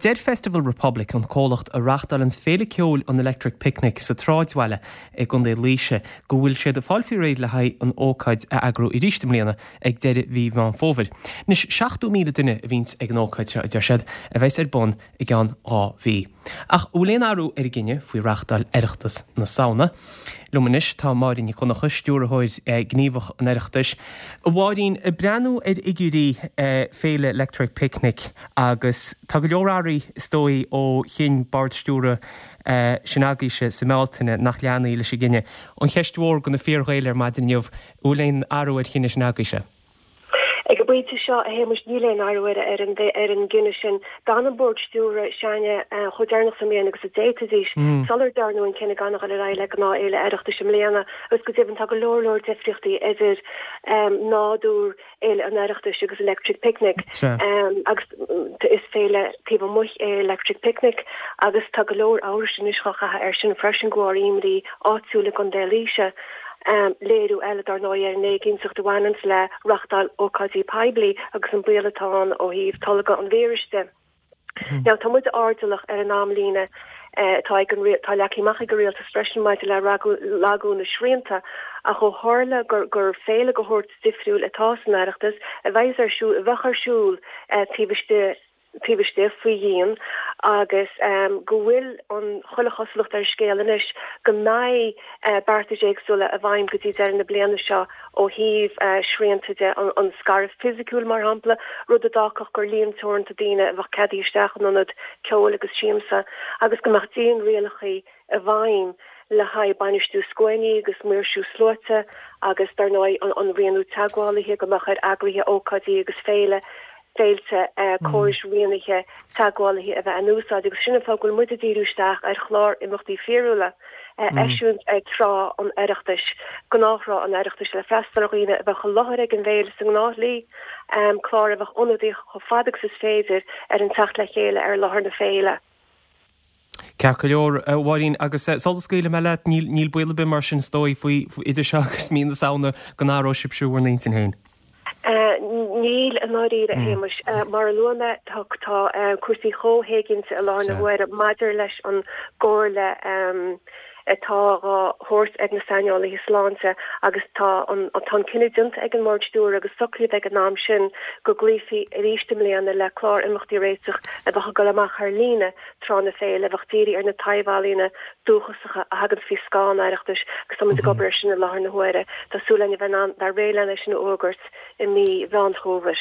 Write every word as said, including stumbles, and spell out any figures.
Deir Festival Republic an comhlacht a reáchtálann féile ceoil an Electric Picnic sa tsráidbhaile i gContae Laoise go bhfuil siad ag fáil faoi réir le haghaidh an ócáid a eagrú arís i mbliana ag deireadh mhí Mheán Fómhair. Anois seachtó míle duine a bhíonns ag an ócáid seo a deir siad a bheas ar bun i gceann dhá mhí. Ach bhfuil aon athrú ar an gcinneadh faoi reáchtáil Oireachtas na Samhna. Liom anois tá Máirín Nic Dhonncha, stiúrthóir gníomhach an Oireachtais. A Mháirín, ag breathnú ar fhigiúirí féile Electric Picnic agus tá go leor athraithe is dóigh ó chinn bord stiúrtha sin agaibhse sa mBealtaine nach leanfaí leis an gcinneadh. An cheist mhór do na fíor-Ghaeil ar maidin inniu, bhfuil aon athrú ar chinneadh sin agaibhse? Ag an bpointe seo a Shéamais níl aon athrú ar ar an ar an gcinneadh sin. D'fhan an bord stiúrtha s'againne chomh deireanach sa mbliain agus a d'fhéadfaidís sular dearnadh an cinneadh gan a dhul ar aghaidh le gnáthfhéile Oireachtais i mbliana agus go deimhin tá go leor leor difríochtaí idir nádúr Fhéile an Oireachtais agus Electric Picnic agus is féile taobh amuigh é Electric Picnic agus tá go leor amhrais anois á chaitheamh air sin freisin de bharr imní áitiúil i gContae Laoise. Léiriú eile dar ndóigh ar an éiginnteacht a bhaineanns le reáchtáil ócáidí poiblí agus an baol atá ann ó thaobh tolgadh an víris de. Now tá muid airdeallach ar an amlíne atá ag an tá leagtha amach ag an rialtas freisin maidir le lagú na srianta ach ó tharla gur gur féile de shórt difriúil atá san Oireachtas a bheidh ar siúl a bheadh ar siúl taobh istigh taobh istigh faoi dhíon agus um, go bhfuil an chuile chosúlacht ar scéal anois go mbeidh uh, beartais éagsúla i bhfeidhm go dtí deireadh na bliana seo ó thaobh uh, srianta de an, an scaradh fisiciúil mar shampla rud a d'fhágfadh gur líon teoranta daoine a bheadh ceadaithe isteach in ionad ceoil agus siamsa agus go mbeadh dianrialacha i bhfeidhm le haghaidh bainistiú scuainí agus maoirsiú sluaite agus dar ndóigh an, an rianú teagmhálaithe go mbeadh ar eagraithe ócáidí agus féile féilte córais rianaithe teagmhálaithe a bheith in úsáid agus sin an fáth go bhfuil muid ag díriú isteach ar chlár imeachtaí fíorúla eisiúint ag tráth an Oireachtais, gnáth-thráth an Oireachtais le freastal ar dhaoine a bheadh i láthair ag an bhféile sa ngnáthshlí, clár a bheadh ionadaíoch chomh fada agus is féidir ar an teacht le chéile ar láthair na féile. Ceart go leor a Mháirín agus sula scaoilfidh mé leat níl níl baol ar bith mar sin is dóigh faoi idir seo agus mí na Samhna go n-athróidh sibhse bhur n-intinn féin. Níl i ndáiríre a Shéamais. Mar a luaigh mé tá tá cúrsaí chomh héiginnte i láthair na huaire maidir leis an gcomhairle atá á thabhairt ag na saineolaithe sláinte agus tá an tá an cinneadh déanta ag an mbord stiúrtha agus socraíodh ag an am sin go gcloífí arís i mbliana le clár imeachtaí a réiteach a bheadh ag dul amach ar líne tráth na féile a bheadh dírithe ar na taibh-ealaíona dúchasacha a thagann faoi scáth an Oireachtais agus tá muid ag obair air sin i láthair na huaire. Tá súil againn a bheith in ann bheith réidh lena sin a fhógairt i mí Mheán Fómhair.